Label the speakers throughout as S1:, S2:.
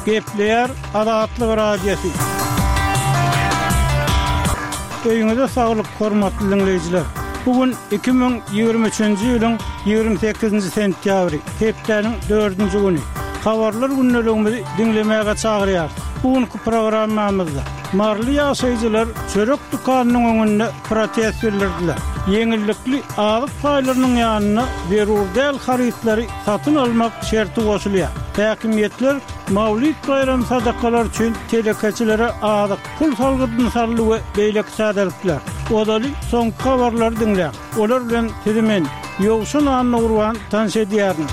S1: Gepleýär Azatlyk Radiosy. Öýüňize saglyk, hormatly diňleýjiler! Bu gün 2023-nji ýylyň 28-nji sentýabry, hepdäniň dördünji güni. Habarlar gündeligimizi diňlemäge çagyrýarys. Bu günki programmamyzda maryly ýaşaýjylar çörek dükanynyň öňünde protest bildirdiler. Ýeňillikli azyk paýlarynyň ýanyna zerur däl harytlary satyn almak şerti goşulýar. Häkimiýetler Mawlid baýramy sadakalary üçin telekeçilere azyk, pul salgydyny saldy we beýleki täzelikler. Ozaly soňky habarlary diňläň. Olar bilen sizi men, Ýowşan Annagurban tanyş edýärin.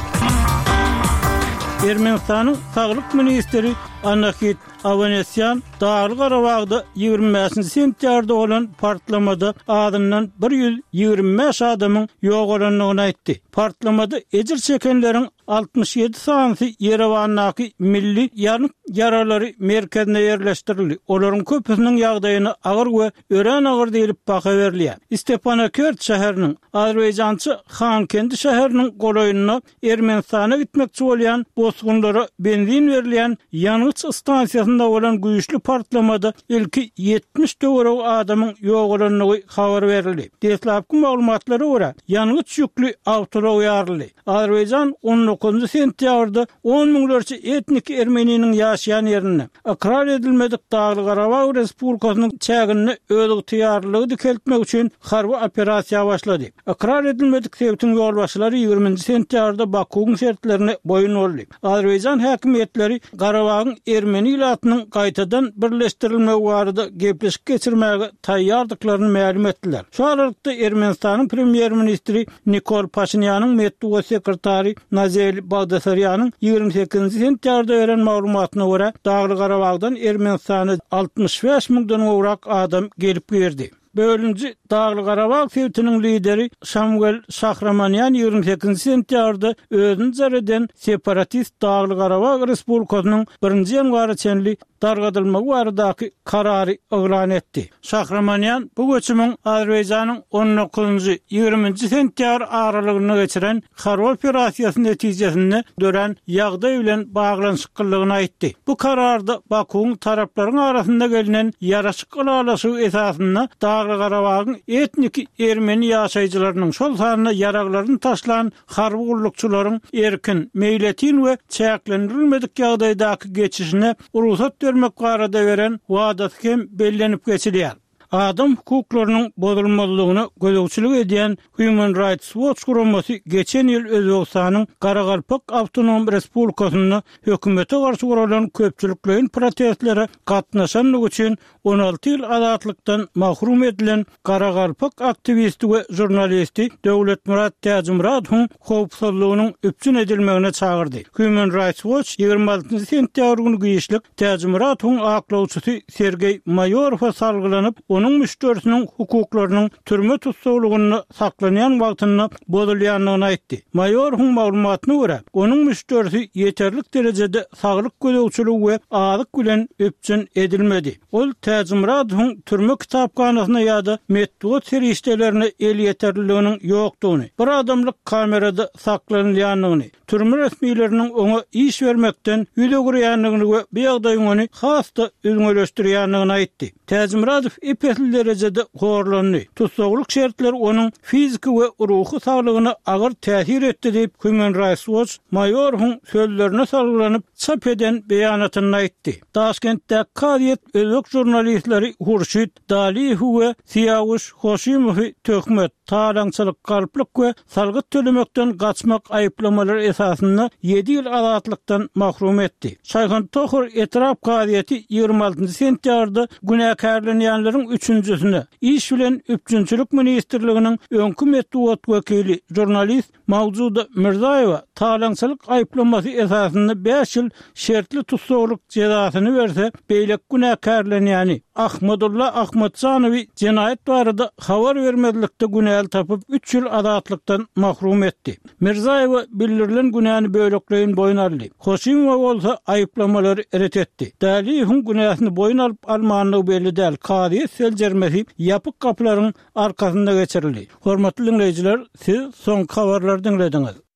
S1: Ermenistanyň saglyk ministri Anahit Awanesýan Dagly-Garabagda 25-nji sentýabrda bolan partlamada azyndan 125 adamyň ýogalandygyny aýtdy. Partlamada ejir çekenleriň 67 sanysy Ýerewandaky Milli ýanyk ýaralary merkezine ýerleşdirildi. Olaryň köpüsiniň ýagdaýyna agyr we örän agyr diýlip baha berilýär. Stepanakert şäheriniň, azerbaýjança Hankendi şäheriniň golaýynda Ermenistana gitmekçi bolýan bosgunlara benzin berilýän ýangyç stansiýasynda bolan güýçli partlamada ilki 70 töweregi adamyň ýogalandygy habar berildi. Deslapky maglumatlara görä, ýangyç ýükli awtoulag ýaryldy. Azerbaýjan on dokuzynjy sentýabrda on müňlerçe etniki ermeniniň ýaşaýan ýerinde, ykrar edilmedik Dagly-Garabag Respublikasynyň çäginde özygtyýarlylygy dikeltmek üçin harby operasiýa başlady. Ykrar edilmedik sebitiň ýolbaşçylary ýigriminji sentýabrda Bakuwyň şertlerine boýun boldy. Azerbaýjan häkimiýetleri Garabagyň ermeni ilatynyň gaýtadan birleşdirilmegi barada gepleşik geçirmäge taýýardyklaryny mälim etdiler. Şu aralykda Ermenistanyň premýer-ministri Nikol Paşinýanyň metbugat sekretary Nazeli Bagdasarýanyň 28-nji sentýabrda beren maglumatyna görä, Dagly-Garabagdan Ermenistana 65 müňden gowrak adam gelip girdi. Bölünji Dagly-Garabag sebitiniň lideri Şamwel Şahramanýan 28-nji sentýabrda özüni jar eden separatist Dagly-Garabag Respublikasynyň birinji ýanwara çenli dargadylmagy baradaky karary yglan etdi. Şahramanýan bu göçümiň Azerbaýjanyň on dokuzynjy, ýigriminji sentýabr aralygynda geçiren harby operasiýasy netijesinde dörän ýagdaý bilen baglanyşyklydygyny aýtdy. Bu kararda Bakuwyň taraplaryň arasynda gelnen ýaraşyk ylalaşygy esasynda Dagly-Garabagyň etniki ermeni ýaşaýjylarynyň, şol sanda ýaraglaryny taşlan harby gullukçylaryň erkin, meýletin we çäklendirilmedik ýagdaýdaky geçişine rugsat bermek barada beren wadasy hem bellenip geçilýär. Adam hukuklarynyň bozulmazlygyna gözegçilik edýän Human Rights Watch guramasy geçen ýyl Özbegistanyň Garagalpak awtonom respublikasynda hökümete garşy guralan köpçülikleýin protestlere gatnaşandygy üçin 16 ýyl azatlykdan mahrum edilen garagalpak aktiwisti we žurnalisti Döwletmyrat Täjimyradowyň howpsuzlygynyň üpjün edilmegine çagyrdy. Human Rights Watch 26 sentýabr güni giçlik Täjimyradowyň aklawçysy Sergeý Maýorowa salgylanyp, onuň müşderisiniň hukuklarynyň türme tussaglygynda saklanýan wagtynda bozulýandygyny aýtdy. Maýorowyň maglumatyna görä, onuň müşderisi ýeterlik derejede saglyk gözegçiligi we azyk bilen üpjün edilmedi. Ol Täjimyradowyň türme kitaphanasyna ýa-da metbugat serişdelerine elýeterliliginiň ýokdugyny, bir adamlyk kamerada saklanylýandygyny, türme resmileriniň oňa iş bermekden ýüz öwürýändigini we bu ýagdaýyň ony has-da üzňeleşdirýändigini aýtdy. Täjimyradow ep-esli derejede horlandy. Tussaglyk şertleri onuň fiziki we ruhy saglygyna agyr täsir etdi diýip, Human Rights Watch Maýorowyň sözlerine salgylanyp çap eden beýanatynda aýtdy. Daşkentdäki kazyýet özbek žurnalistleri Hurşit Daliýewi we Syýawuş Hoşimowy töhmet, talaňçylyk, galplyk we salgyt tölemekden gaçmak aýyplamalary esasynda ýedi ýyl azatlykdan mahrum etdi. Şaýhantohur etrap kazyýeti 26 sentýabrda günäkärlenýänleriň üçünjisine, Iş bilen üpjünçilik ministrliginiň öňki metbugat wekili, žurnalist Mawjuda Mirzaýewa talaňçylyk aýyplamasy esasynda bäş ýyl şertli tussaglyk jezasyny berse, beýleki günäkärlenýäni, Ahmadulla Ahmatjanowy jenaýat barada habar bermezlikde günäli tapyp, üç ýyl azatlykdan mahrum etdi. Mirzaýewa bildirilen günäni bölekleýin boýun aldy. Hoşimowa bolsa aýyplamalary ret etdi. Däliýewiň günäsini boýun alyp-almandygy belli däl, kazyýet seljermesi ýapyk gapylaryň arkasynda geçirildi. Hormatly diňleýjiler, siz soňky habarlary diňlediňiz.